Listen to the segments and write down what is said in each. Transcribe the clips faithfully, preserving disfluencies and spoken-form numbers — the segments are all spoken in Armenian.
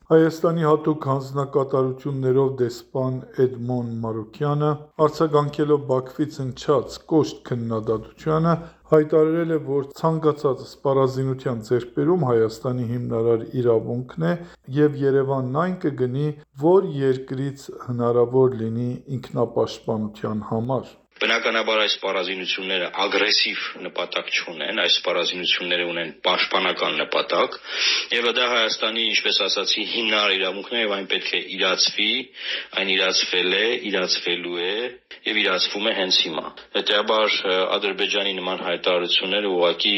Հայաստանի հատուկ հանձնակատարություններով դեսպան Էդմոն Մարուկյանը, արձագանքելով Բաքվից հնչած կոշտ քննադատությանը, հայտարարել է, որ ցանկացած սպառազինության ձեռքբերում Հայաստանի հիմնարար իրավունքն է և Երևանն այն կգնի, որ երկրից հնարավոր լինի ինքնապաշտպանության համար։ Բնականաբար այս սպառազինությունները ագրեսիվ նպատակ չունեն, այս սպառազինությունները ունեն պաշտպանական նպատակ, եւ դա Հայաստանի, ինչպես ասացի, հիմնարար իրավունքն է եւ այն պետք է իրացվի, այն իրացվել է, իրացվելու է եւ իրացվում է հենց հիմա։ Հետեւաբար Ադրբեջանի նման հայտարարությունները ուղղակի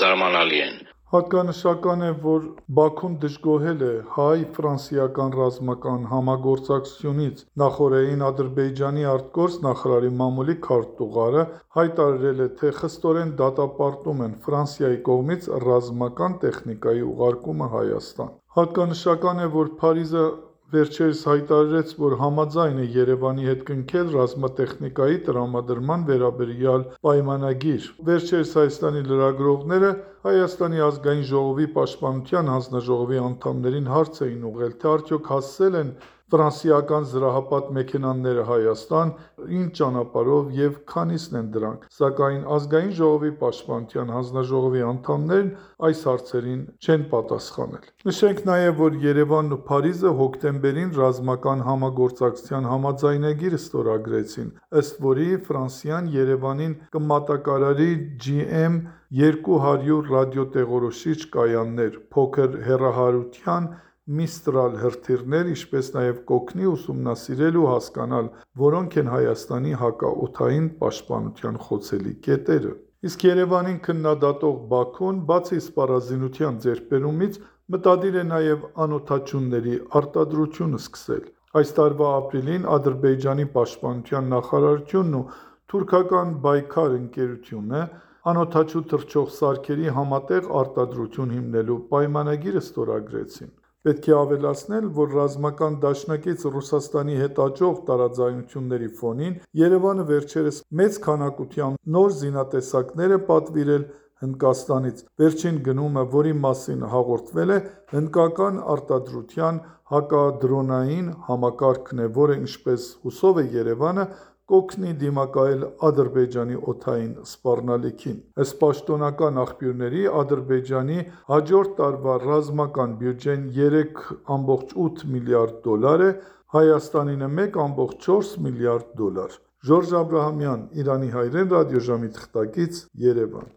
զարմանալի են։ Հատկանշական է, որ Բաքուն դժգոհել է հայ-ֆրանսիական ռազմական համագործակցությունից։ Նախօրեին Ադրբեջանի ԱԳ նախարարի մամուլի քարտուղարը հայտարարել է, թե խստորեն դատապարտում են Ֆրանսիայի կողմից ռազմական տեխնիկայի ուղարկումը Հայաստան։ Հատկանշական է, որ Փարիզը վերջերս հայտարարեց, որ համաձայն է Երևանի հետ կնքել ռազմատեխնիկայի տրամադրման վերաբերյալ պայմանագիր։ Վերջերս Հայաստանի լրագրողները Հայաստանի ազգային ժողովի պաշտպանության հանձնաժողովի անդամներին հարց էին ուղղել, թե արդյոք հասցել են ֆրանսիական զրահապատ մեքենաները Հայաստան, ինչ ճանապարհով և քանիսն են դրանք, սակայն ազգային ժողովի պաշտպանության հանձնաժողովի անդամներն այս հարցերին չեն պատասխանել։ Նշենք նաև, որ Երևանն ու Փարիզը հոկտեմբերին ռազմական համագործակցության համաձայնագիր ստորագրեցին, ըստ որի Ֆրանսիան Երևանին կմատակարարի Ջի Էմ երկու հարյուր ռադիոտեղորոշիչ կայաններ, փոքր հեռահարության Միստրալ հրթիռներ, ինչպես նաև կօգնի ուսումնասիրել ու հասկանալ, որոնք են Հայաստանի հակաօդային պաշտպանության խոցելի կետերը։ Իսկ Երևանին քննադատող Բաքուն, բացի սպառազինության ձեռքբերումից, մտադիր է նաև անօդաչուների արտադրությունը սկսել։ Այս տարվա ապրիլին Ադրբեջանի պաշտպանության նախարարությունն ու թուրքական Բայքար ընկերությունը անօդաչու թռչող սարքերի համատեղ արտադրություն հիմնելու պայմանագիր ստորագրեցին։ Պետք է ավելացնել, որ ռազմական դաշնակից Ռուսաստանի հետ աճող տարաձայնությունների ֆոնին Երևանը վերջերս մեծ քանակությամբ նոր զինատեսակներ է պատվիրել Հնդկաստանից։ Վերջին գնումը, որի մասին հաղորդվել է, հնդկական արտադրության հակադրոնային համակարգն է, որը, ինչպես հուսով է Երևանը, կօգնի դիմակայել Ադրբեջանի օդային սպառնալիքին։ Ըստ պաշտոնական աղբյուրների, Ադրբեջանի հաջորդ տարվա ռազմական բյուջեն երեք կόμma ութ միլիարդ դոլար է, Հայաստանինը մեկ կόμma չորս միլիարդ դոլար։ Ժորժ Աբրահամյան, Իրանի հայրեն ռադիոժամի թղթակից, Երևան։